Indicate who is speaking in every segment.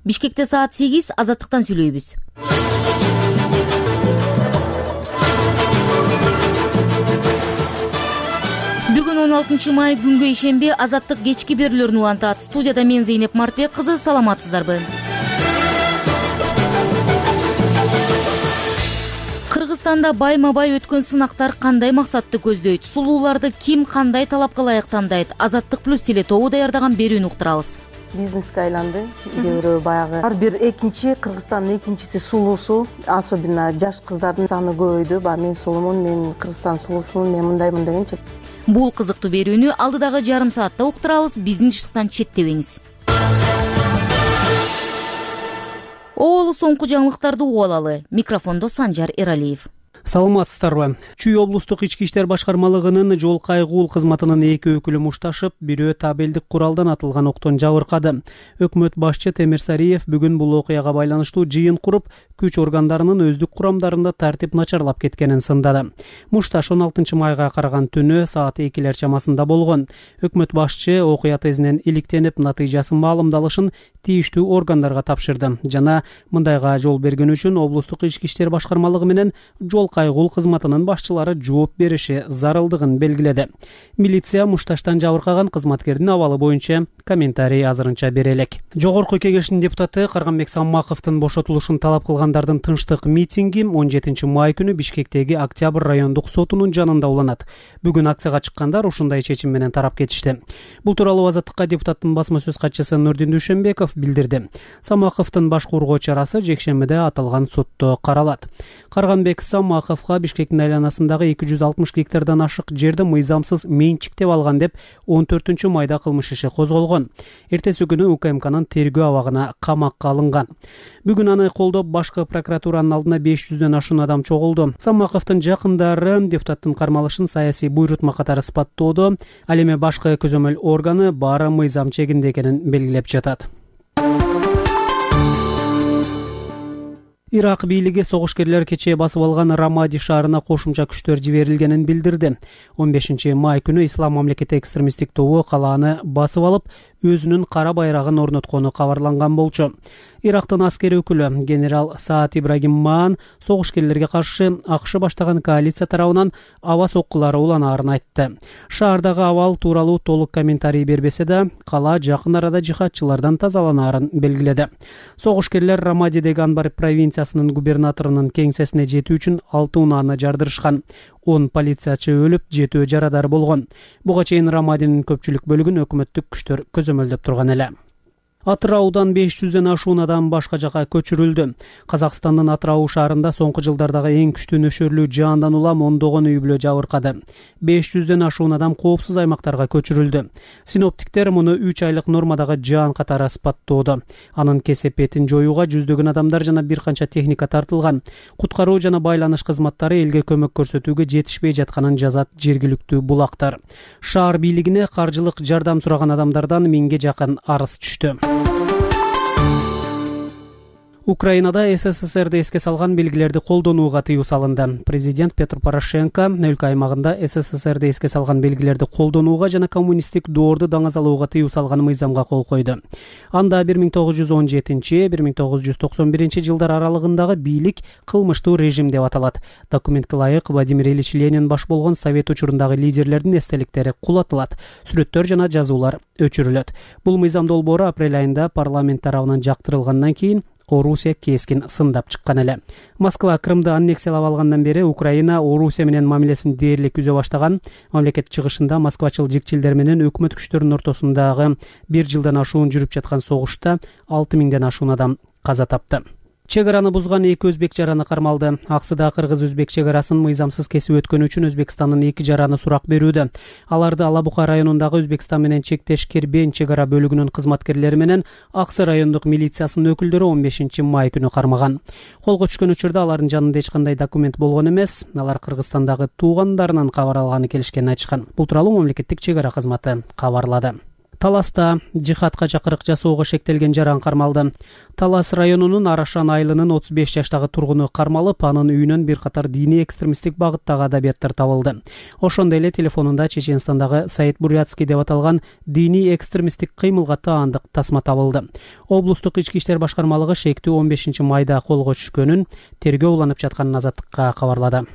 Speaker 1: Бишкекте саат 8, Азаттыктан сүйлөйбүз. Бүгүн 16 май күнгө ишемби Азаттык кечки берүүлөрүн улантат. Студияда мен Зейнеп Мартбек кызы, саламатсыздарбы? Кыргызстанда байма-бай өткөн сынактар кандай максатты көздөйт? Сулууларды ким кандай талапка ылайык тандайт? Азаттык плюс теле тобу даярдаган берүүнү уктурабыз.
Speaker 2: Бизнеске айланды. Кээ баягы ар бир экинчи Кыргызстандын экинчиси сулуусу, особенно жаш кыздардын саны көбөйдү. Мен сулумун, мен Кыргызстан сулуусумун, мен мындайчы.
Speaker 1: Бул кызыктуу берүүнү алдыдагы жарым саатта уктурабыз. Биздин тынчтыктан четтебеңиз. Оолу соңку жаңылыктарды угуп алалы. Микрофондо Санжар Эралиев.
Speaker 3: Саламатсыздарбы? Чүй облустук ички иштер башкармалыгынын жол кайгуул кызматынын 2 өкүлү мушташып, бирөө табелдик куралдан атылган октон жабыркады. Өкмөт башчы Темир Сариев бүгүн бул окуяга байланыштуу жыйын куруп, күч органдарынын өздүк курамдарында тартип начарлап кеткенин сындады. Мушташ 16 майга караган түнү саат 2 чамасында болгон. Өкмөт башчы окуя тезинен иликтенип, натыйжасын маалымдалышын тийиштүү органдарга тапшырды жана мындайга жол берген үчүн облустук ички иштер башкармалыгы менен жол кайгуул кызматынын башчылары жооп бериши зарылдыгын белгиледи. Милиция Мушташтан жабыркаган кызматкердин абалы боюнча комментарий азырынча бере элек. Жогорку Кеңештин депутаты Карганбек Саммаковдун бошотулушун талап кылгандардын тынчтык митинги 17 май күнү Бишкектеги Октябрь райондук сотунун жанында уланат. Бүгүн акцияга чыккандар ушундай чечим менен тарап кетишти. Бул тууралуу Азаттыкка депутаттын басма сөз катчысы Нурдин Дүйшөнбеков билдирди. Саммаковдун баш кургоо чарасы жекшембиде аталган сотто каралат. Карганбек Саммаковго Бишкектин айланасындагы 260 гектардан ашык жерди мыйзамсыз менчиктеп алган деп 14 майда кылмыш иши козголгон. Эртеси күнү УКМКнын тергөө абагына камакка алынган. Бүгүн аны колдоп башкы прокуратуранын алдына 500дөн ашуун адам чогулду. Саммаковдун жакындары депутаттын кармалышын саясий буйрутма катары сыпаттоодо, ал эми башкы көзөмөл органы баары мыйзам чегинде экенин белгилеп жатат. Ирак бийлиги согушкерлер кечээ басып алган Рамади шаарына кошумча күчтөр жиберилгенин билдирди. 15 май күнү Ислам мамлекети экстремисттик тобу калааны басып алып, өзүнүн кара байрагын орноткону кабарланган болчу. Ирактын аскери өкүлү генерал Саад Ибрагим Маан согушкерлерге каршы АКШ баштаган коалиция тарабынан аба соккулары уланаарын айтты. Шаардагы абал тууралуу толук комментарий бербесе да, кала жакын арада жихадчылардан тазаланаарын белгиледи. Согушкерлер Рамадидеги Анбар провинциясынын губернаторунун кеңсесине жетүү үчүн 6 унааны жардырышкан. 10 полициячы өлүп, 7 жарадар болгон. Буга чейин Рамадинин көпчүлүк бөлүгүн өкмөттүк күчтөр көзөмөлдөп турган эле. Атыраудан 500дөн ашуун адам башка жака көчүрүлдү. Казакстандын Атырау шаарында соңку жылдардагы эң күчтүү нөшөрлүү жаандан улам ондогон үй бүлө жабыркады. 500дөн ашуун адам коопсуз аймактарга көчүрүлдү. Синоптиктер муну 3 айлык нормадагы жаан катары сыпаттоодо. Анын кесепетин жоюуга жүздөгөн адамдар жана бир канча техника тартылган. Куткаруу жана байланыш кызматтары элге көмөк көрсөтүүгө жетишпей жатканын жазат жергиликтүү булактар. Шаар бийлигине каржылык жардам сураган адамдардан 1000ге жакын арыз түштү. Украинада СССРди эске салган белгилерди колдонууга тыюу салынды. Президент Петр Порошенко өлкө аймагында СССРди эске салган белгилерди колдонууга жана коммунисттик доорду даңазалууга тыюу салган мыйзамга кол койду. Анда 1917-1991 жылдар аралыгындагы бийлик кылмыштуу режим деп аталат. Документке ылайык Владимир Ильич Ленин баш болгон совет учурундагы лидерлердин эстеликтери кулатылат, сүрөттөр жана жазуулар өчүрүлөт. Бул мыйзам долбоору апрель айында парламент тарабынан жактырылгандан кийин Орусия кескин сындап чыккан эле. Москва Крымды аннексиялап алгандан бери Украина Орусия менен мамилесин дээрлик үзө баштаган. Мамлекет чыгышында москвачыл жикчилдер менен өкмөт күчтөрүнүн ортосундагы 1 жылдан ашуун жүрүп жаткан согушта 6000ден ашуун адам каза тапты. Чек араны бузган 2 өзбек жараны кармалды. Аксыда кыргыз-өзбек чек арасын мыйзамсыз кесип өткөнү үчүн Өзбекстандын 2 жараны сурак берүүдө. Аларды Алабука районундагы Өзбекстан менен чектеш Кербен чек ара бөлүгүнүн кызматкерлери менен Аксы райондук милициясынын өкүлдөрү 15 май күнү кармаган. Колго түшкөн учурда алардын жанында эч кандай документ болгон эмес. Алар Кыргызстандагы туугандарынан кабар алганы келишкенин айтышкан. Бул тууралуу мамлекеттик чек ара кызматы кабарлады. Таласта жихадка чакырык жасоого шектелген жаран кармалды. Талас районунун Арашан айылынын 35 жаштагы тургуну кармалып, анын үйүнөн бир катар диний экстремисттик багыттагы адабияттар табылды. Ошондой эле телефонунда Чеченстандагы Саид Бурятский деп аталган диний экстремисттик кыймылга таандык тасма табылды. Облустук ички иштер башкармалыгы шектүү 15 майда колго түшкөнүн, тергөө уланып жатканын Азаттыкка кабарлады.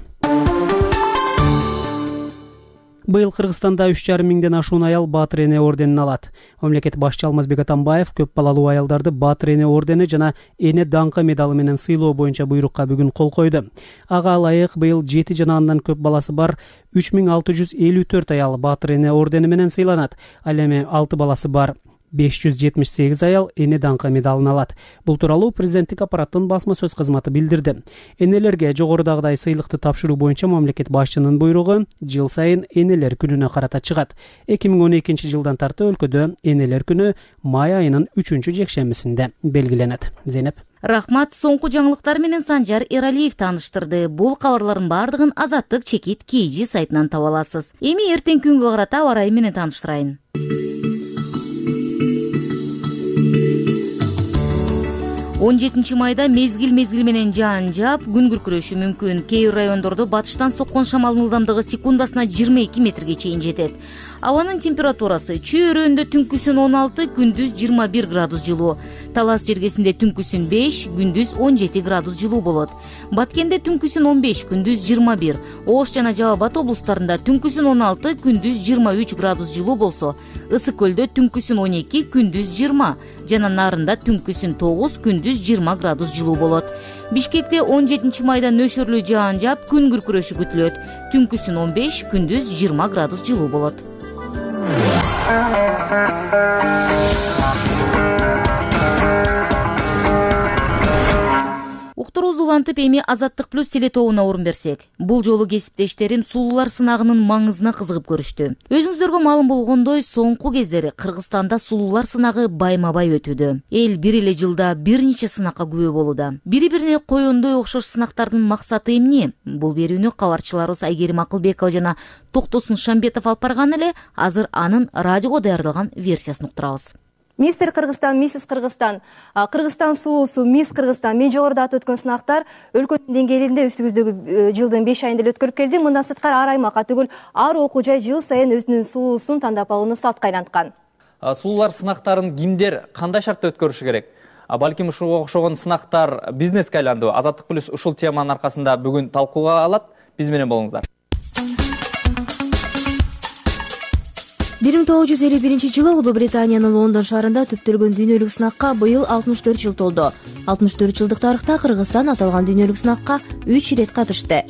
Speaker 3: Быйыл Кыргызстанда 3,5 миңден ашуун аял Баатыр эне орденин алат. Мамлекет башчы Алмазбек Атамбаев көп балалуу аялдарды Баатыр эне ордени жана эне даңкы медалы менен сыйлоо боюнча буйрукка бүгүн кол койду. Ага ылайык быйыл 7 жана андан көп баласы бар 3654 аял Баатыр эне ордени менен сыйланат. Ал эми 6 баласы бар 578 аял эне даңкы медалын алат. Бул тууралуу президенттик аппараттын басма сөз кызматы билдирди. Энелерге жогорудагыдай сыйлыкты тапшыруу боюнча мамлекет башчынын буйругу жыл сайын энелер күнүнө карата чыгат. 2012 жылдан тарты өлкөдө энелер күнү май айынын 3-жекшембисинде белгиленет. Зейнеп.
Speaker 1: Рахмат. Соңку жаңылыктар менен Санжар Эралиев тааныштырды. Бул кабарлардын бардыгын Азаттык чекит KG сайтынан таба аласыз. Эми эртең күнгө карата аба ырайы менен тааныштырайын. 17 майда мезгил менен жаан жаап, күн күркүрөшү мүмкүн. Кээ бир райондордо батыштан соккон шамалдын ылдамдыгы секундасына 22 метрге чейин жетет. Абанын температурасы чөйрөндө түнкүсүн 16, күндүз 21 градус жылуу. Талас жергесинде түнкүсүн 5, күндүз 17 градус жылуу болот. Баткенде түнкүсүн 15, күндүз 21. Ош жана Жалал Абад облустарында түнкүсүн 16, күндүз 23 градус жылуу болсо, Ысык көлдө түнкүсүн 12, күндүз 20, жана Нарында түнкүсүн 9, күндүз 20 градус жылуу болот. Бишкекте 17 майда нөшөрлүү жаан жаап, күн күркүрөшү күтүлөт. Түнкүсүн 15, күндүз 20 градус жылуу болот. Уктурубузду улантып, эми Азаттык плюс телетобуна орун берсек. Бул жолу кесиптештерим сулуулар сынагынын маңызына кызыгып көрүштү. Өзүңүздөргө маалым болгондой, соңку кездери Кыргызстанда сулуулар сынагы байма-бай өтүүдө. Эл бир эле жылда бир нече сынакка күбө болууда. Бири-бирине коёндой окшош сынактардын максаты эмне? Бул берүүнү кабарчыларыбыз Айгерим Акылбекова жана Токтосун Шамбетов алып барган эле. Азыр анын радиого даярдалган версиясын уктурабыз.
Speaker 4: Мистер Кыргызстан, миссис Кыргызстан, Кыргызстан сулуусу, мисс Кыргызстан. Мен жогоруда атып өткөн сынактар өлкөнүн деңгээлинде үстүбүздөгү жылдын 5 айында эле өткөрүлүп келди. Мындан сырткары ар аймакка түгүл, ар окуу жай жыл сайын өзүнүн сулуусун тандап алууну салтка айланткан.
Speaker 5: Сулуулар сынактарын кимдер кандай шартта өткөрүшү керек? Балким ушуга окшогон сынактар бизнеске айланды. Азаттык плюс ушул теманын аркасында бүгүн талкууга алат. Биз менен болуңуздар.
Speaker 4: 1951 жылы Улуу Британиянын Лондон шаарында түптөлгөн дүйнөлүк сынакка быйыл 64 жыл толду. 64 жылдык тарыхта Кыргызстан аталган дүйнөлүк сынакка 3 ирет катышты.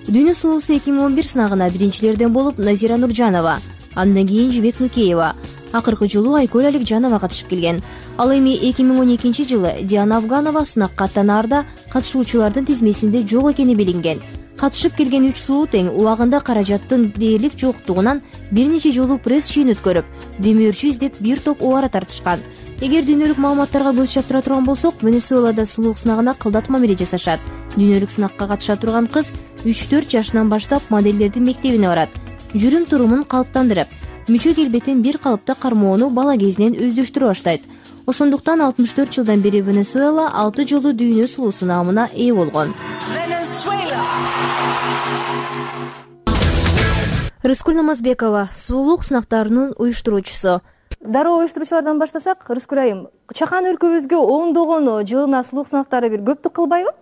Speaker 4: Дүйнө сулуусу 2011 сынагына биринчилерден болуп Назира Нуржанова, андан кийин Жибек Нукеева, акыркы жылуу Айкөл Аликжанова катышып келген. Ал эми 2012 жылы Диана Афганова сынакка аттанаарда катышуучулардын тизмесинде жок экени билинген. Катышып келген 3 сулуу тең убагында каражаттын дээрлик жоктугунан бир нече жолу пресс чыйын өткөрүп, демөөрчү издеп бир топ убара тартышкан. Эгер дүйнөлүк маалыматтарга көз чаптыра турган болсок, Венесуэлада сулуулук сынагына кылдат мамиле жасашат. Дүйнөлүк сынакка катыша турган кыз 3-4 жашынан баштап моделдердин мектебине барат. Жүрүм турумун калыптандырып, мүчө келбетин бир калыпта кармоону бала кезинен өздөштүрө баштайт. Ошондуктан 64 жылдан бери Венесуэла 6 жолу дүйнө сулуусу наамына ээ болгон. Рыскүл Намазбекова, сулуулук сынактарынын уюштуруучусу. Дароо уюштуруучулардан баштасак, Рыскүл айым, чакан өлкөбүзгө ондогон жылына сулуулук сынактары бир көптүк кылбайбы?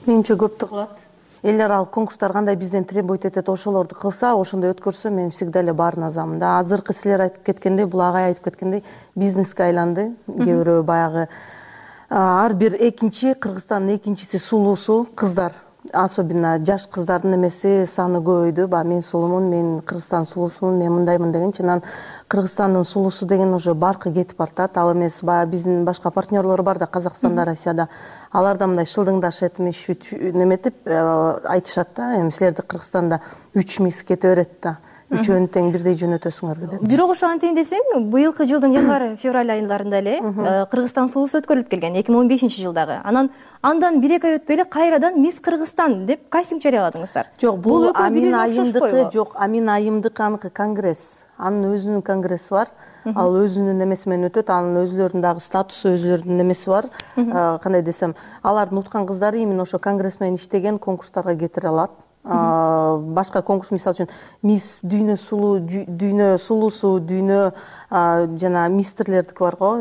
Speaker 2: Менимче көптүк кылат. Эл аралык конкурстар кандай бизден требовать этет, ошолорду кылса, ошондой өткөрсө, мен всегда эле баарына азамын да. Азыркы силер айтып кеткендей, бул агай айтып кеткендей, бизнеске айланды. Кээ бирөө баягы ар бир экинчи Кыргызстандын экинчиси сулуусу кыздар. Особенно жаш кыздардын эмеси саны көбөйдү. Мен сулуумун, мен Кыргызстан сулуусумун, мен мындаймын дегенчи, анан Кыргызстандын сулуусу деген уже баркы кетип баратат. Ал эмес баягы биздин башка партнерлор бар да, Казакстанда, Россияда. Алар да мындай шылдыңдашып, неметип айтышат да, эми силерди Кыргызстанда 3 мисс кете берет да. Үчөөнү тең бирдей жөнөтөсүңөрбү деп.
Speaker 4: Бирок ошо антейин десең, быйылкы жылдын январь-февраль айыларында эле Кыргызстан сулуусу өткөрүлүп келген 2015 жылдагы. Андан 1-2 ай өтпөй эле кайрадан мисс Кыргызстан деп кастинг жарыяладыңыздар.
Speaker 2: Жок, бул Амин айымдыкы, жок, Амин айымдыкы аныкы конгресс. Анын өзүнүн конгресси бар. ал өзүнүн эмеси менен өтөт, анын өзүлөрүнүн дагы статусу, өзүлөрүнүн эмеси бар. Кандай десем, алардын уткан кыздары именно ошо конгресс менен иштеген конкурстарга кетире алат. Башка конкурс, мисалы үчүн мисс дүйнө сулуусу, дүйнө жана мистерлердики бар го,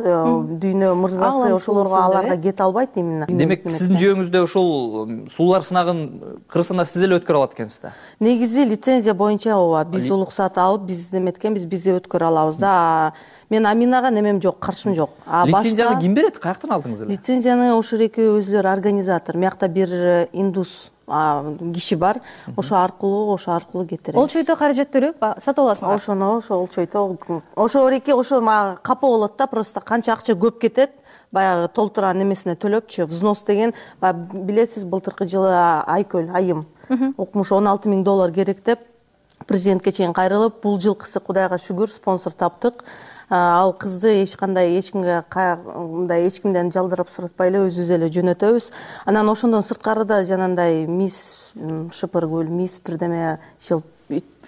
Speaker 2: дүйнө мырзасы, ошолорго аларга кете албайт именно.
Speaker 5: Демек сиздин жүйөңүздө ушул сулуулар сынагын Кыргызстанда сиз эле өткөрө алат экенсиз да?
Speaker 2: Негизи лицензия боюнча ооба, биз уруксат алып, биз эметкенбиз, биз өткөрө алабыз да. Мен Аминага немем жок, каршым жок.
Speaker 5: Лицензияны ким берет? Каяктан алдыңыз эле?
Speaker 2: Лицензияны ошол экөө өзүлөрү организатор. Миякта бир индус киши бар, ошо аркылуу кетиребиз.
Speaker 4: Ол чойто каражат төлөп сатып аласыңар?
Speaker 2: Ошону ошол чойто, ошо эреке ошо мага капа болот да, просто канча акча көп кетет, баягы толтурган немесине төлөпчү, взнос деген, билесиз, былтыркы жылы айым укмуш $16,000 керек деп президентке чейин кайрылып, бул жылкысы Кудайга шүгүр спонсор таптык. Ал кызды эчкимден жалдырап суратпай эле өзүбүз эле жөнөтөбүз. Анан ошондон сырткары да жанагындай мисс Шыпыргүл, мисс бирдеме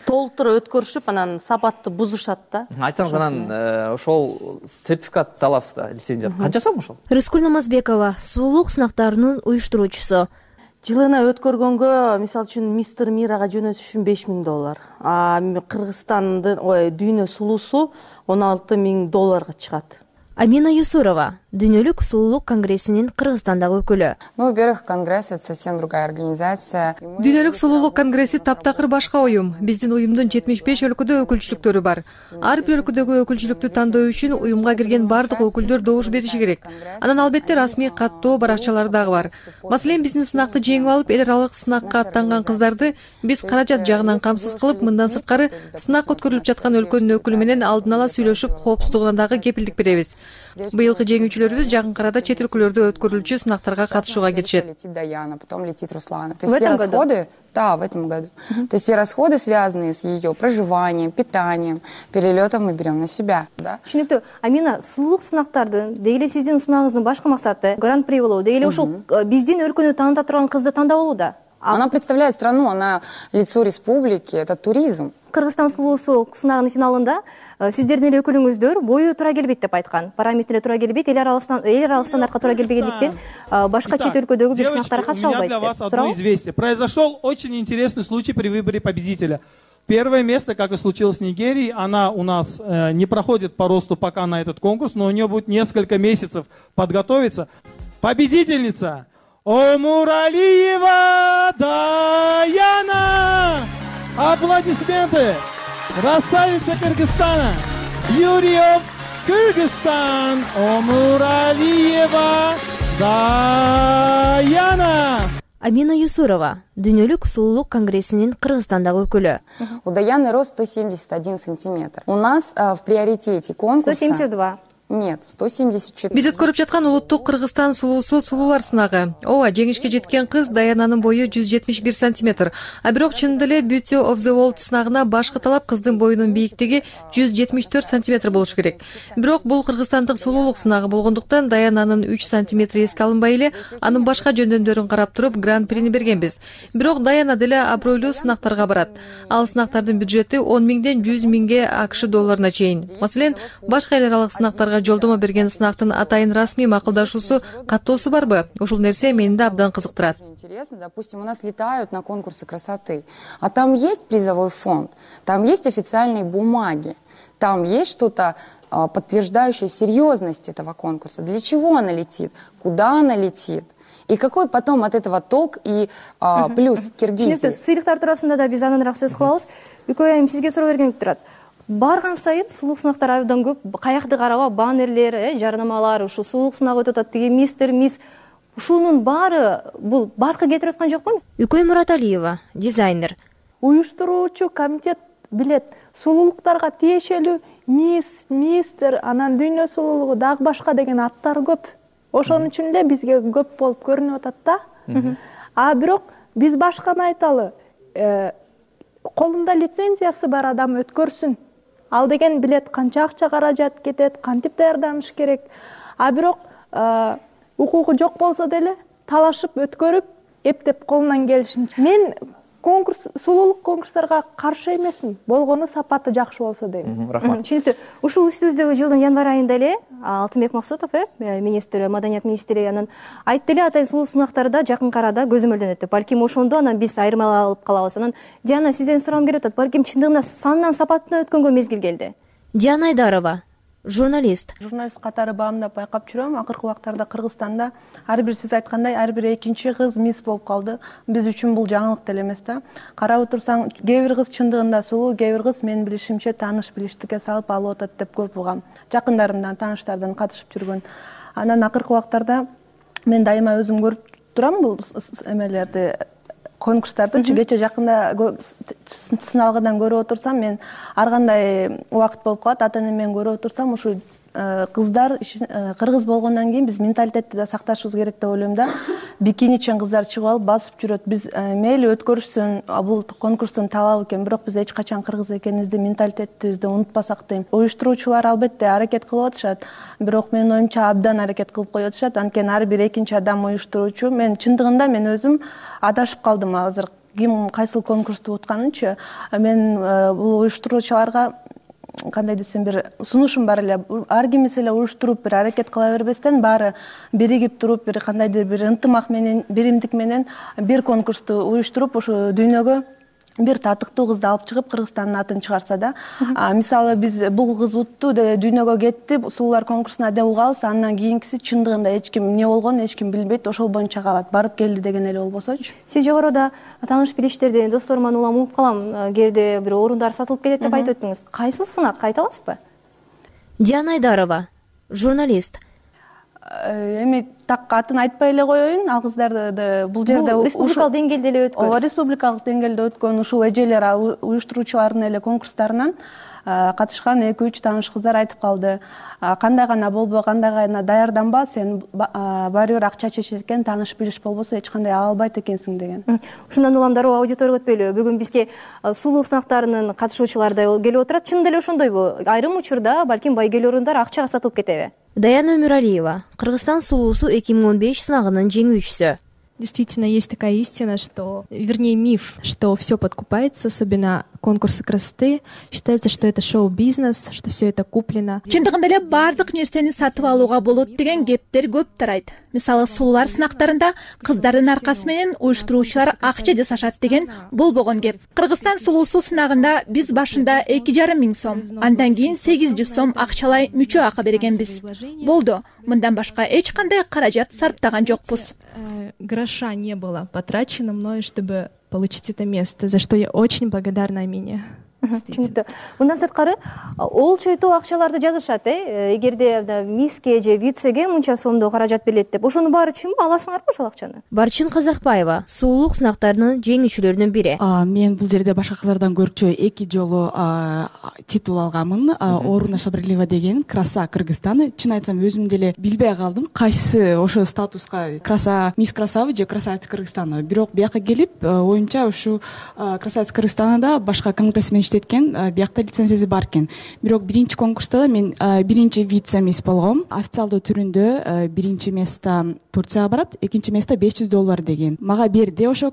Speaker 2: толтура өткөрүшүп, анан сапатты бузушат да.
Speaker 5: Айтсаңыз, анан ошол сертификат аласыз да, лицензия. Канча сом ошол?
Speaker 4: Рыскүл Намазбекова, сулуулук сынактарынын уюштуруучусу.
Speaker 2: Жылына өткөргөнгө, мисалы үчүн мистер Мирага жөнөтүш үчүн $5,000. Кыргызстандын, дүйнө сулуусу $16,000 чыгат.
Speaker 4: Амина Юсурова, Дүйнөлүк сулуулук конгрессинин Кыргызстандагы өкүлү.
Speaker 6: Во-первых, конгресс — это совсем другая организация.
Speaker 7: Дүйнөлүк сулуулук конгресси таптакыр башка уюм. Биздин уюмдун 75 өлкөдө өкүлчүлүктөрү бар. Ар бир өлкөдөгү өкүлчүлүктү тандоо үчүн уюмга кирген бардык өкүлдөр добуш бериши керек. Анан албетте расмий каттоо баракчалары дагы бар. Маселен, биздин сынакты жеңип алып, эл аралык сынакка аттанган кыздарды биз каражат жагынан камсыз кылып, мындан сырткары сынак өткөрүлүп жаткан өлкөнүн өкүлү менен алдын ала сүйлөшүп, коопсуздугуна дагы кепилдик беребиз. Быйылкы жеңүүчүлөрүбүз жакын арада чет өлкөлөрдө өткөрүлчү сынактарга катышууга кетишет.
Speaker 6: Летит Даяна, потом летит Руслана. То есть все расходы, да, в этом году. То есть все расходы, связанные с ее проживанием, питанием, перелетом, мы берем на себя, да.
Speaker 4: Түшүнүктүү. Амина, сулуулук сынактардын, деги сиздин сынагыңыздын башкы максаты гран-при болуу, деги ушул биздин өлкөнү тааныта турган кызды тандап алуу да.
Speaker 6: Она представляет страну, она лицо республики, это туризм.
Speaker 4: Кыргызстан сулуусу сынагынын финалында сиздердин эле өкүлүңүздөр бою туура келбейт деп айткан. Параметрлери туура келбейт, эл аралык стандартка туура келбегендиктен башка чет өлкөдөгү бир сынактарга катыша албайт деп.
Speaker 8: У меня для вас одно известие. Произошел очень интересный случай при выборе победителя. Первое место, как и случилось в Нигерии, она у нас не проходит по росту пока на этот конкурс, но у нее будет несколько месяцев подготовиться. Победительница Омуралиева Даяна! Аплодисменты! Красавица Кыргызстана! Beauty of Kyrgyzstan! Омуралиева Даяна!
Speaker 4: Амина Юсурова, Дүйнөлүк сулуулук конгрессинин Кыргызстандагы өкүлү.
Speaker 6: У Даяны рост 171 сантиметр. У нас в приоритете конкурса...
Speaker 4: 172.
Speaker 6: Нет, 174.
Speaker 7: Биз өткөрүп жаткан улуттук Кыргызстан сулуусу сулуулар сынагы. Ооба, жеңишке жеткен кыз Даянанын бою 171 сантиметр. А бирок чынында эле Beauty of the World сынагына башкы талап кыздын боюнун бийиктиги 174 сантиметр болуш керек. Бирок бул кыргызстандык сулуулук сынагы болгондуктан Даянанын 3 сантиметри эске алынбай эле, анын башка жөндөмдөрүн карап туруп гран-прини бергенбиз. Бирок Даяна деле абройлуу сынактарга барат. Ал сынактардын бюджети 10,000ден 100,000 акш долларына чейин. Маселен, башка эл аралык сынактарга жолдомо берген сынактын атайын расмий макулдашуусу, каттоосу барбы? Ушул нерсе мени да абдан кызыктырат.
Speaker 6: Интересно, допустим, у нас летают на конкурсы красоты, а там есть призовой фонд, там есть официальные бумаги, там есть что-то подтверждающее серьезность этого конкурса. Для чего она летит? Куда она летит? И какой потом от этого толк и плюс Киргизии?
Speaker 4: Сыйлыктар туурасында да биз аныныраак сөз кылабыз. Үкөй айым сизге суроо бергем турат. Барган сайын сулуулук сынактар абдан көп, каякты караба, баннерлер, жарнамалар, ушу сулуулук сынагы өтүп атат, тиги мистер, мисс. Ушунун баары бул баркы кетирип аткан жокпу? Үкөй Мураталиева, дизайнер.
Speaker 9: Уюштуруучу комитет билет, сулуулуктарга тиешелүү мисс, мистер, анан дүйнө сулуулугу дагы башка деген аттар көп. Ошон үчүн эле бизге көп болуп көрүнүп атат да. А бирок биз башканы айталы. Колунда лицензиясы бар адам өткөрсүн. Ал деген билет канча акча каражат кетет, кантип даярданыш керек. А бирок укугу жок болсо деле талашып өткөрүп, эптеп колунан келишинче. Мен сулуулук конкурстарга каршы эмесмин, болгону сапаты жакшы болсо дейм.
Speaker 5: Рахмат.
Speaker 4: Түшүнүктүү. Ушул үстүбүздөгү жылдын январь айында эле Алтынбек Максутов, министр, маданият министри анан айтты эле, атайын сулуу сынактарда жакынкы арада көзөмөлдөнөт деп. Балким ошондо анан биз айырмаланып калабыз. Анан Диана, сизден сурагым келип атат. Балким чындыгында санынан сапатына өткөнгө мезгил келди. Диана Айдарова, журналист.
Speaker 10: Журналист катары баамдап байкап жүрөм. Акыркы убактарда Кыргызстанда ар бир сиз айткандай ар бир экинчи кыз мисс болуп калды. Биз үчүн бул жаңылык деле эмес да. Карап отурсаң, кээ бир кыз чындыгында сулуу, кээ бир кыз менин билишимче тааныш билиштикке салып алып атат деп көп угам. Жакындарымдан, тааныштардан катышып жүргөн. Анан акыркы убактарда мен дайыма өзүм көрүп турам бул эмелерди, конкурстарды. Кече жакында сыналгыдан көрүп отурсам, мен ар кандай убакыт болуп калат, ата-энем менен көрүп отурсам, ушу кыздар кыргыз болгондон кийин биз менталитетти да сакташыбыз керек деп ойлойм да. Бикиничен кыздар чыгып алып басып жүрөт. Биз мейли өткөрүшсүн, бул конкурстун талабы экен, бирок биз эч качан кыргыз экенибизди, менталитетибизди унутпасак дейм. Уюштуруучулар албетте аракет кылып атышат, бирок менин оюмча абдан аракет кылып коюп атышат. Анткени ар бир экинчи адам уюштуруучу. Мен чындыгында мен өзүм адашып калдым азыр. Ким кайсыл конкурсту утканынчы. Мен бул уюштуруучуларга кандай десем бир сунушум бар эле. Ар кимис эле уюштуруп бир аракет кыла бербестен, баары биригип туруп, бир кандайдыр бир ынтымак менен, биримдик менен бир конкурсту уюштуруп, ошо дүйнөгө бир татыктуу кызды алып чыгып Кыргызстандын атын чыгарса да. Мисалы биз бул кыз утту, дүйнөгө кетти, сулуулар конкурсуна деп угабыз, андан кийинкиси чындыгында эч ким эмне болгонун эч ким билбейт, ошол боюнча калат. Барып келди деген эле болбосочу.
Speaker 4: Сиз жогоруда тааныш билиштерди, досторуман улам угуп калам, кээде бир орундар сатылып кетет деп айтып өттүңүз. Кайсыл сынак айта аласызбы? Диана Айдарова, журналист.
Speaker 10: Эми так атын айтпай эле коеюн, ал кыздарды бул жерде
Speaker 4: республикалык деңгээлде эле өткөн.
Speaker 10: Ооба, республикалык деңгээлде өткөн ушул эжелер уюштуруучулардын эле конкурстарынан катышкан 2-3 тааныш кыздар айтып калды. Кандай гана болбо, кандай гана даярданба, сен баары бир акча чечет экен, тааныш билиш болбосо эч кандай ала албайт экенсиң деген.
Speaker 4: Ушундан улам дароо аудиторияга өтпөйлү. Бүгүн бизге сулуулук сынактарынын катышуучулары келип отурат. Чындап эле ошондойбу? Айрым учурда балким байгелүү орундар акчага сатылып кетеби? Даяна Өмүралиева, Кыргызстан сулуусу 2015 сынагынын жеңүүчүсү.
Speaker 11: Действительно, есть такая истина, что, вернее, миф, что все подкупается, особенно конкурсы красоты. Считается, что это шоу-бизнес, что все это куплено.
Speaker 12: Чындыгында эле баардык нерсени сатып алууга болот деген кептер көп тарайт. Мисалы, сулуулар сынактарында кыздардын аркасы менен уюштуруучулар акча жасашат деген болбогон кеп. Кыргызстан сулуусу сынагында биз башында 2,5 миң сом, андан кийин 800 сом акчалай мүчө акы бергенбиз. Болду. Мындан башка эч кандай каражат сарптаган жокпуз.
Speaker 11: Гроша не было потрачено мной, чтобы получить это место, за что я очень благодарна Амине.
Speaker 4: Түшүнүктүү. Мындан сырткары ол чойтоо акчаларды жазышат, эгерде миске же вицеге мынча сомдо каражат берилет деп. Ошонун баары чынбы? Аласыңарбы ошол акчаны? Барчин Казакбаева, сулуулук сынактарынын жеңүүчүлөрүнүн бири.
Speaker 13: Мен бул жерде башка кыздардан көрчү 2 жолу титул алганмын. Орунда Шабрилева деген Краса Кыргызстан. Чын айтсам, өзүм деле билбей калдым, кайсы ошо статуска Краса мисс Красавы же Красавица Кыргызстана. Бирок бияка келип, оюмча ушу Красавица Кыргызстанда башка конгрессмен иштеткен, биякта лицензиясы бар экен. Бирок биринчи конкурста мен биринчи вице-мисс болгом. Официалдуу түрүндө биринчи место Турцияга барат, экинчи место $500 деген. Мага берди, ошо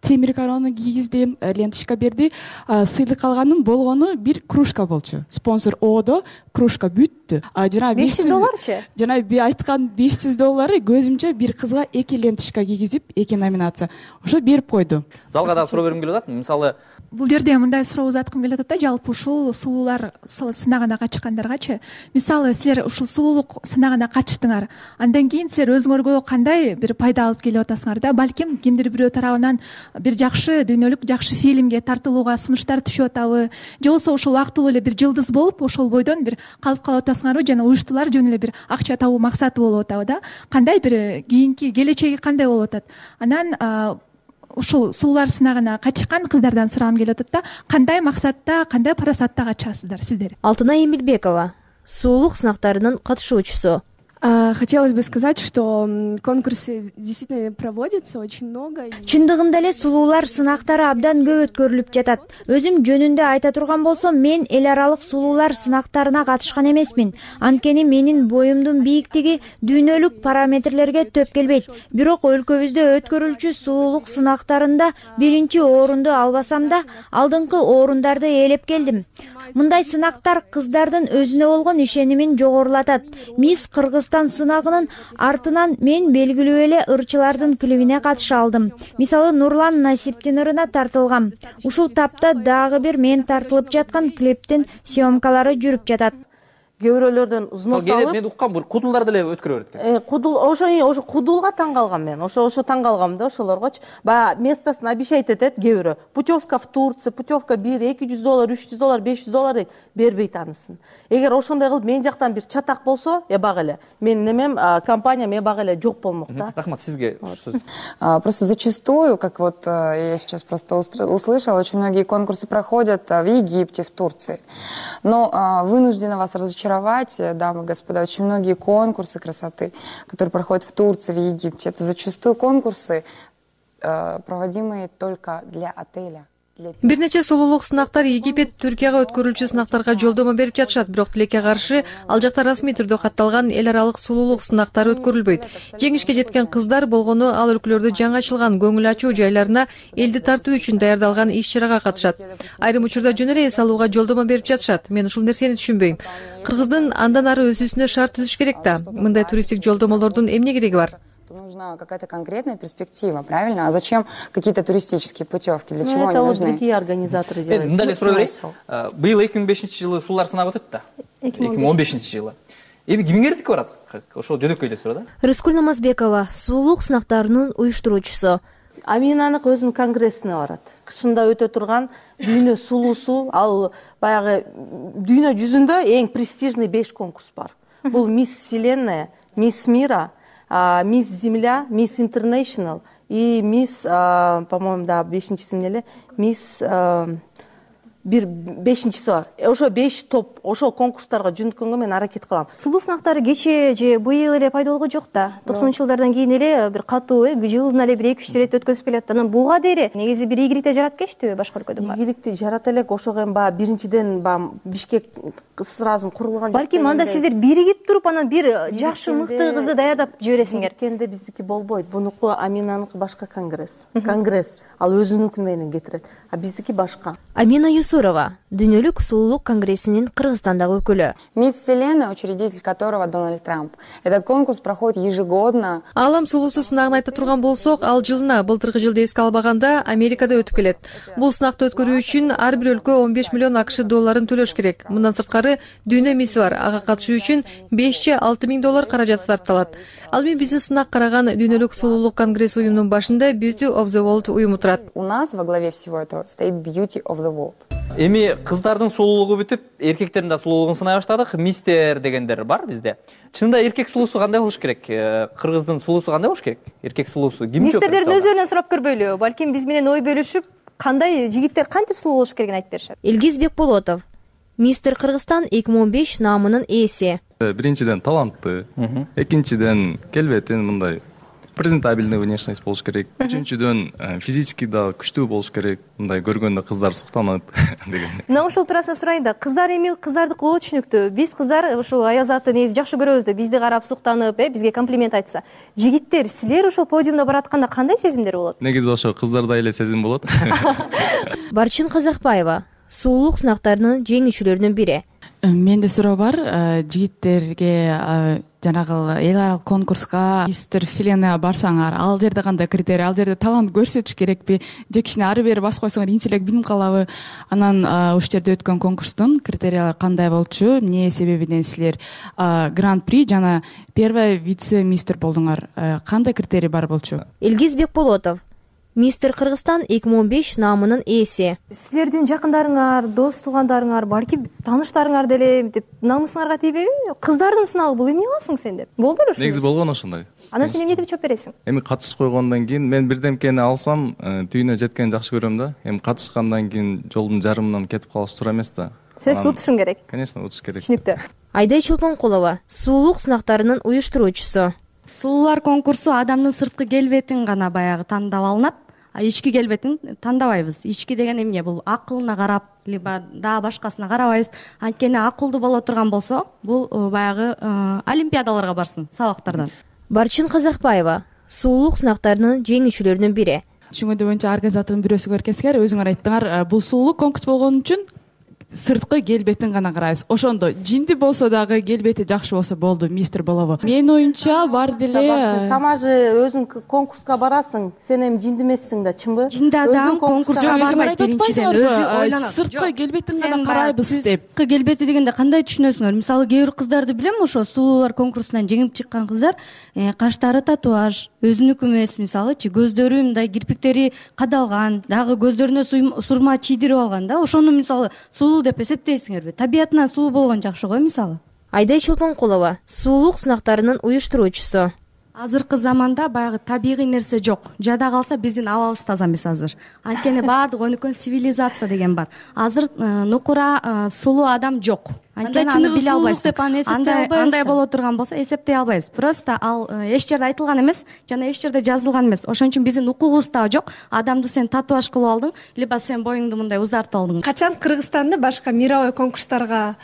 Speaker 13: темир корону кийгизди, ленточка берди. Сыйлык алганым болгону бир кружка болчу. Спонсор Одо, кружка бүттү. Жана
Speaker 4: $500чы?
Speaker 13: Жана айткан $500 көзүмчө бир кызга 2 ленточка кийгизип, 2 номинация. Ошо берип койду.
Speaker 5: Залга да суроо бергим келип атат. Мисалы,
Speaker 12: бул жерде мындай суроо узаткым келип атат да, жалпы ушул сулуулар сынагына катышкандаргачы. Мисалы, силер ушул сулуулук сынагына катыштыңар. Андан кийин силер өзүңөргө кандай бир пайда алып келип атасыңар да? Балким кимдир бирөө тарабынан бир жакшы дүйнөлүк жакшы фильмге тартылууга сунуштар түшүп атабы? Же болбосо ошол убактылуу эле бир жылдыз болуп, ошол бойдон бир калып калып атасыңарбы? Жана уюштуулар жөн эле бир акча табуу максаты болуп атабы да? Кандай бир кийинки келечеги кандай болуп атат? Анан ушул сулуулар сынагына катышкан кыздардан сурагым келип атат да, кандай максатта, кандай парасатта катышасыздар сиздер?
Speaker 4: Алтынай Эмилбекова, сулуулук сынактарынын катышуучусу.
Speaker 11: Хотелось бы сказать, что конкурсы действительно проводятся очень много.
Speaker 4: Чындыгында эле сулуулар сынактары абдан көп өткөрүлүп жатат. Өзүм жөнүндө айта турган болсом, мен эл аралык сулуулар сынактарына катышкан эмесмин. Анткени менин боюмдун бийиктиги дүйнөлүк параметрлерге төп келбейт. Бирок өлкөбүздө өткөрүлчү сулуулук сынактарында биринчи орунду албасам да, алдыңкы орундарды ээлеп келдим. Мындай сынактар кыздардын өзүнө болгон ишенимин жогорулатат. Мисс Кыргызстан сынагынын артынан мен белгилүү эле ырчылардын клибине катыша алдым. Мисалы, Нурлан Насиптин ырына тартылгам. Ушул тапта дагы бир мен тартылып жаткан клиптин съемкалары жүрүп жатат.
Speaker 2: Кээ бирөөлөрдөн взнос алып,
Speaker 5: мен уккам, бул кудулдарды эле өткөрө берет экен.
Speaker 2: Кудул, ошо кудулга таң калгам мен. Ошо таң калгам да ошолоргочу. Баягы местосын обещать этет кээ бирөө. Путевка в Турцию, путевка $200, $300, $500 дейт. Бербейт анысын. Эгер ошондой кылып мен жактан бир чатак болсо, эбак эле. Менин немем, компаниям эбак эле жок болмок да.
Speaker 5: Рахмат, сизге сөз.
Speaker 6: Просто зачастую, как вот я сейчас просто услышала, очень многие конкурсы проходят в Египте, в Турции. Но вынуждена вас разочаровать, дамы и господа, очень многие конкурсы красоты, которые проходят в Турции, в Египте, это зачастую конкурсы, проводимые только для отеля.
Speaker 7: Бир нече сулуулук сынактар Египет, Түркияга өткөрүлчү сынактарга жолдомо берип жатышат, бирок тилекке каршы ал жакта расмий түрдө катталган эл аралык сулуулук сынактары өткөрүлбөйт. Жеңишке жеткен кыздар болгону ал өлкөлөрдө жаңы ачылган көңүл ачуу жайларына элди тартуу үчүн даярдалган иш-чарага катышат. Айрым учурда жөн эле эс алууга жолдомо берип жатышат. Мен ушул нерсени түшүнбөйм. Кыргыздын андан ары өсүүсүнө шарт түзүш керек да. Мындай туристтик жолдомолордун эмне кереги бар?
Speaker 6: Нужна какая-то конкретная перспектива, правильно? А зачем какие-то туристические путевки? Для чего они нужны?
Speaker 2: Это другие организаторы делают.
Speaker 5: Мындай эле суроо берейин. Быйыл 2005-жылы суулар сынагы өтөт да. 2015-жылы. Эми ким кердикке барат? Ошол жөнөкөй эле суроо да.
Speaker 4: Рыскүл Намазбекова, сулуулук сынактарынын уюштуруучусу.
Speaker 2: Аминанык өзүнүн конгрессине барат. Кышында өтө турган дүйнө сулуусу, ал баягы дүйнө жүзүндө эң престижный 5 конкурс бар. Бул Мисс Вселенная, Мисс Мира, Мисс Земля, Мисс Интернешнл и Мисс, по-моему, да, бешинчиси эмне эле, Мисс бир бешинчиси бар. Ошо 5 топ, ошол конкурстарга жөнөткөнгө мен аракет кылам.
Speaker 4: Сулуу сынактары кечээ же быйыл эле пайда болгон жок да. 90-жылдардан кийин эле бир катуу, жылына эле бир 2-3 рет өткөзүп келет. Анан буга дейри негизи бир ийгиликти жаратып келиштиби башка өлкөдөн?
Speaker 2: Ийгиликти жарата элек, ошого эми баягы биринчиден баягы Бишкек сразу курулган.
Speaker 4: Балким анда сиздер биригип туруп, анан бир жакшы мыкты кызды даярдап жибересиңер.
Speaker 2: Бириккенде биздики болбойт. Бунуку Аминаныкы башка конгресс. Конгресс. Ал өзүнүнкү менен кетирет. А биздики башка.
Speaker 4: Амина Юсурова, Дүйнөлүк сулуулук конгрессинин Кыргызстандагы өкүлү.
Speaker 6: Мисс Вселенная, учредитель которого Дональд Трамп. Этот конкурс проходит ежегодно.
Speaker 7: Алам сулуусу сынагын айта турган болсок, ал жылына былтыркы жылды эске албаганда Америкада өтүп келет. Бул сынакты өткөрүү үчүн ар бир өлкө 15 миллион АКШ долларын төлөш керек. Мындан сырткары дүйнө мисси бар. Ага катышуу үчүн 5-6 миң доллар каражат сарпталат. Ал эми биздин сынак караган Дүйнөлүк сулуулук конгресс уюмунун башында Beauty of the World уюму турат.
Speaker 6: У нас во главе всего этого стоит Beauty of the World.
Speaker 5: Эми кыздардын сулуулугу бүтүп, эркектердин да сулуулугун сынай баштадык. Мистер дегендер бар бизде. Чынында эркек сулуусу кандай болуш керек? Кыргыздын сулуусу кандай болуш керек? Эркек сулуусу ким жок?
Speaker 4: Мистердердин өздөрүнөн сурап көрбөйлү. Балким биз менен ой бөлүшүп, кандай жигиттер кантип сулуу болуш керегин айтып беришет. Илгиз Бекболотов, Мистер Кыргызстан 2015 наамынын ээси.
Speaker 14: Биринчиден талантты, экинчиден келбетин мындай презентабельный внешность болуш керек. Үчүнчүдөн физически да күчтүү болуш керек. Мындай көргөндө кыздар суктанып деген.
Speaker 4: Мына ушул туурасында сурайын да, кыздар эми кыздардыкы болот түшүнүктүү. Биз кыздар ушул аязатты негизи жакшы көрөбүз да, бизди карап суктанып, бизге комплимент айтса. Жигиттер, силер ушул подиумда баратканда кандай сезимдер болот?
Speaker 14: Негизи ошо кыздарда эле сезим болот.
Speaker 4: Барчин Казакбаева, сулуулук сынактарынын жеңүүчүлөрүнүн бири.
Speaker 13: Менде суроо бар, жигиттерге жанагы эл аралык конкурска Мистер Вселенная барсаңар, ал жерде кандай критерий, ал жерде талант көрсөтүш керекпи, же кичине ары бери басып койсоңор кийинчерээк билим калабы? Анан ушул жерде өткөн конкурстун критериялары кандай болчу, эмне себебинен силер гран-при жана первая вице-мистер болдуңар? Кандай критерий бар болчу?
Speaker 4: Илгиз Бекболотов, Мистер Кыргызстан 2015 наамынын ээси. Силердин жакындарыңар, дос туугандарыңар, балки тааныштарыңар деле деп намысыңарга тийбеби? Кыздардын сынагы бул эмне кыласың сен деп. Болду беле ошондой?
Speaker 14: Негизи болгон ошондой.
Speaker 4: Анан сен эмне деп жооп бересиң?
Speaker 14: Эми катышып койгондон кийин мен бирдемкени алсам, түйүнө жеткенди жакшы көрөм да. Эми катышкандан кийин жолдун жарымынан кетип калыш туура эмес да.
Speaker 4: Сөзсүз утушуң керек.
Speaker 14: Конечно, утуш керек.
Speaker 4: Түшүнүктүү. Айдай Чолпонкулова, сулуулук сынактарынын уюштуруучусу.
Speaker 15: Сулуулар конкурсу адамдын сырткы келбетин гана баягы тандап алынат, а ички келбетин тандабайбыз. Ички деген эмне? Бул акылына карап, либо дагы башкасына карабайбыз. Анткени акылдуу боло турган болсо, бул баягы олимпиадаларга барсын, сабактардан.
Speaker 4: Барчин Казакбаева, сулуулук сынактарынын жеңүүчүлөрүнүн бири.
Speaker 13: Түшүнгөндөй боюнча организатордун бирөөсү экенсиңер, өзүңөр айттыңар, бул сулуулук конкурс болгон үчүн сырткы келбетин гана карайбыз. Ошондо жинди болсо дагы келбети жакшы болсо болду, мистер болобу? Менин оюмча бар деле.
Speaker 2: Сама же өзүң конкурска барасың, сен эми жинди эмессиң да, чынбы?
Speaker 15: Жинди адам конкурска барбайт биринчиден, өзү ойлонот.
Speaker 13: Сырткы келбетин гана карайбыз деп.
Speaker 15: Сырткы келбети дегенде кандай түшүнөсүңөр? Мисалы, кээ бир кыздарды билем, ошо сулуулар конкурсунан жеңип чыккан кыздар, каштары татуаж, өзүнүкү эмес, мисалычы, көздөрү мындай кирпиктери кадалган, дагы көздөрүнө сурма чийдирип алган да. Ошону мисалы сулуу деп эсептейсиңерби? Табиятынан сулуу болгон жакшы го, мисалы.
Speaker 4: Айдай Чолпонкулова, сулуулук сынактарынын уюштуруучусу.
Speaker 15: Азыркы заманда баягы табигый нерсе жок. Жада калса биздин абабыз таза эмес азыр. Анткени баардык өнүккөн цивилизация деген бар. Азыр нукура сулуу адам жок. Анткени аны биле албайсың. Андай боло турган болсо эсептей албайбыз. Просто ал эч жерде айтылган эмес, жана эч жерде жазылган эмес. Ошон үчүн биздин укугубуз дагы жок. Адамды сен татуаж кылып алдың, либо сен боюңду мындай узартып алдың.
Speaker 9: Качан Кыргызстанды башка мировой конкурстарга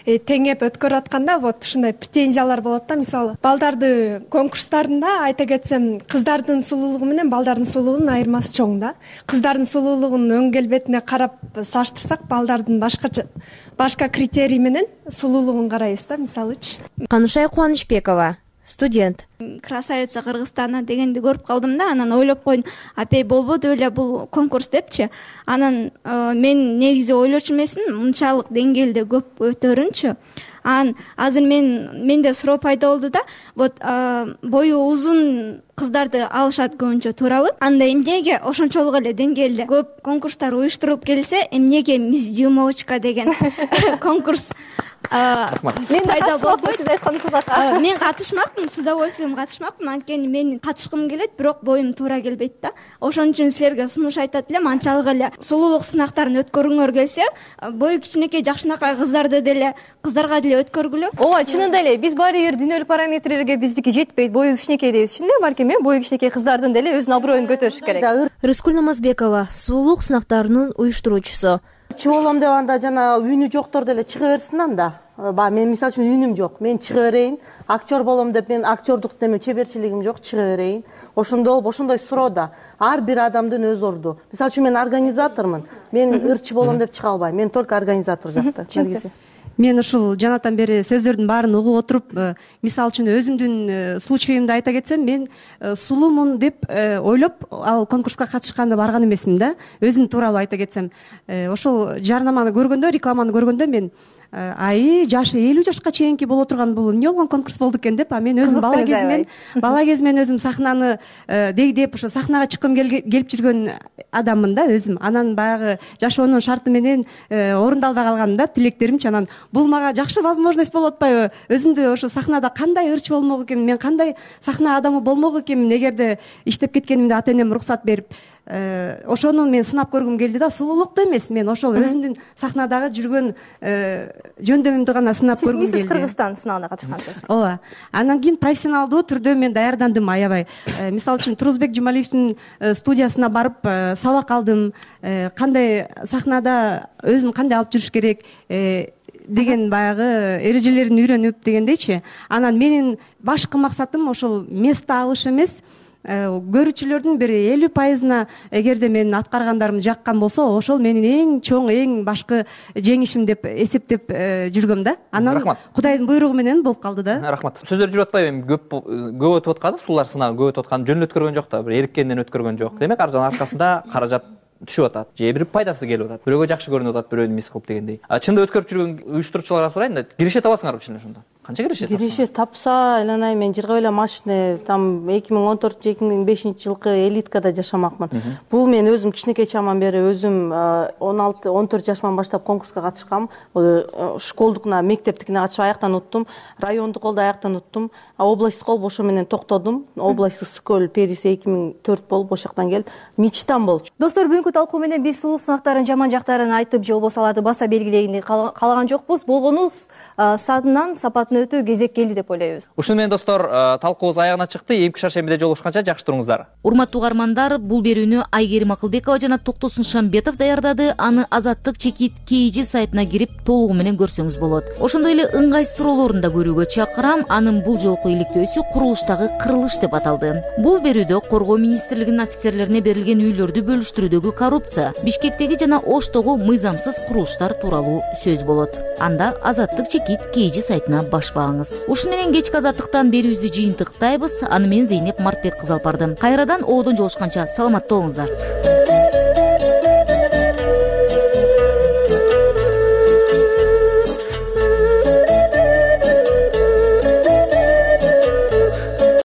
Speaker 9: теңеп өткөрүп атканда вот ушундай претензиялар болот да. Мисалы, балдарды конкурстарында айта кетсем, кыздардын сулуулугу менен балдардын сулуулугунун айырмасы чоң да. Кыздардын сулуулугунун өң келбетине карап салыштырсак, балдардын башка критерий менен сулуулугун карайбыз да, мисалычы.
Speaker 4: Канышай Кубанычбекова, студент.
Speaker 16: Красавица Кыргызстана дегенди көрүп калдым да, анан ойлоп койдум, апей болбоду эле бул конкурс депчи. Анан мен негизи ойлочу эмесмин, мынчалык деңгээлде көп өтөрүнчү. Азыр менде суроо пайда болду да, вот бою узун кыздарды алышат көбүнчө, туурабы? Анда эмнеге ошончолук эле деңгээлде көп конкурстар уюштурулуп келсе, эмнеге мисс Дюймовочка деген конкурс пайда болбойт? Сиз айткан мен катышмакмын, с удовольствием катышмакмын, анткени мен катышкым келет, бирок боюм туура келбейт да. Ошон үчүн силерге сунуш айтат элем, анчалык эле сулуулук сынактарын өткөргүңөр келсе, бою кичинекей жакшынакай кыздарга деле өткөргүлө.
Speaker 17: Ооба, чынында эле биз баары бир дүйнөлүк параметрлерге биздики жетпейт, боюбуз кичинекей дейбиз. Чынында балким бою кичинекей кыздардын деле өзүнүн аброюн көтөрүш керек.
Speaker 4: Рыскүл Намазбекова, сулуулук сынактарынын уюштуруучусу.
Speaker 2: Болом деп анда жана үнү жоктор деле чыга берсин анда. Мен мисалы үчүн үнүм жок, мен чыга берейин. Актер болом деп мен актердук деме чеберчилигим жок, чыга берейин. Ошондой суроода ар бир адамдын өз орду. Мисалы үчүн мен организатормун. Мен ырчы болом деп чыга албайм. Мен только организатор жакта.
Speaker 18: Мен ушул жанатан бери сөздөрдүн баарын угуп отуруп, мисалы үчүн өзүмдүн случайымды айта кетсем, мен сулуумун деп ойлоп ал конкурска катышканда барган эмесмин да. Өзүм тууралуу айта кетсем, ошол жарнаманы көргөндө, рекламаны көргөндө мен жашы 50 жашка чейинки боло турган бул эмне болгон конкурс болду экен деп, мен өзүм бала кезимен өзүм сахнаны дегдеп ошо сахнага чыккым келип жүргөн адаммын да өзүм. Анан баягы жашоонун шарты менен орундалбай калган да тилектеримчи. Анан бул мага жакшы возможность болуп атпайбы? Өзүмдү ошо сахнада кандай ырчы болмок экенмин, мен кандай сахна адамы болмок экенмин, эгерде иштеп кеткенимде ата энем уруксат берип, ошону мен сынап көргүм келди да. Сулуулукту эмес, мен ошол өзүмдүн сахнадагы жүргөн жөндөмүмдү гана сынап көргүм келди.
Speaker 17: Сиз Кыргызстан сынагына катышкансыз.
Speaker 18: Ооба. Анан кийин профессионалдуу түрдө мен даярдандым аябай. Мисалы үчүн Турузбек Жумалиевдин студиясына барып сабак алдым. Кандай сахнада өзүн кандай алып жүрүш керек деген баягы эрежелерин үйрөнүп дегендейчи. Анан менин башкы максатым ошол место алыш эмес, көрүүчүлөрдүн бир 50%-на эгерде менин аткаргандарым жаккан болсо, ошол менин эң чоң, эң башкы жеңишим деп эсептеп жүргөм да. Анан Кудайдын буйругу менен болуп калды да.
Speaker 5: Рахмат. Сөздөр жүрүп атпайбы? Эми көп өтүп атканы, сулуулар сынагы көп өтүп атканы жөн өткөргөн жок да, бир эриккенден өткөргөн жок. Демек, аржанын аркасында каражат түшүп атат, же бир пайдасы келип атат, бирөөгө жакшы көрүнүп атат, бирөөнү мис кылып дегендей. Чында өткөрүп жүргөн уюштуруучуларга сурайын да, киреше табасыңарбы чын ошондо? канча киреше?
Speaker 2: Киреше тапса, айланай мен жыргап эле машина там 2014-2005 элиткада жашамакмын. Бул мен өзүм кичинекей чагыман бери өзүм 16-14 жашыман баштап конкурска катышкам. Школдукуна, мектептикине катышып аяктан уттум. Райондук колду аяктан уттум. Областтык кол ошо менен токтодум. Областтык скөл периси 2004 болуп ошол жактан келип мечтам болчу.
Speaker 17: Достор, бүгүнкү талкуу менен биз сулуулук сынактарын жаман жактарын айтып же болбосо аларды баса белгилегенди каалаган жокпуз. Болгону садынан сапатын өтүү кезек келди деп ойлойбуз.
Speaker 5: Ушуну менен достор, талкуубуз аягына чыкты. Эмки шаршембиде жолугушканча жакшы туруңуздар.
Speaker 1: Урматтуу угармандар, бул берүүнү Айгерим Акылбекова жана Токтосун Шамбетов даярдады. Аны Азаттык Чекит KG сайтына кирип толугу менен көрсөңүз болот. Ошондой эле ыңгайсыз суроолорун да көрүүгө чакырам. Анын бул жолку иликтөөсү курулуштагы кырылыш деп аталды. Бул берүүдө Коргоо министрлигинин офицерлерине берилген үйлөрдү бөлүштүрүүдөгү коррупция, Бишкектеги жана Оштогу мыйзамсыз курулуштар тууралуу сөз болот. Анда Азаттык Чекит KG сайтына башпаңыз. Ушуну менен кечки Азаттыктан берүүбүздү жыйынтыктайбыз. Аны мен Зейнеп Мартбек кызы алып бардым. Кайрадан оодон жолушканча саламатта болуңуздар.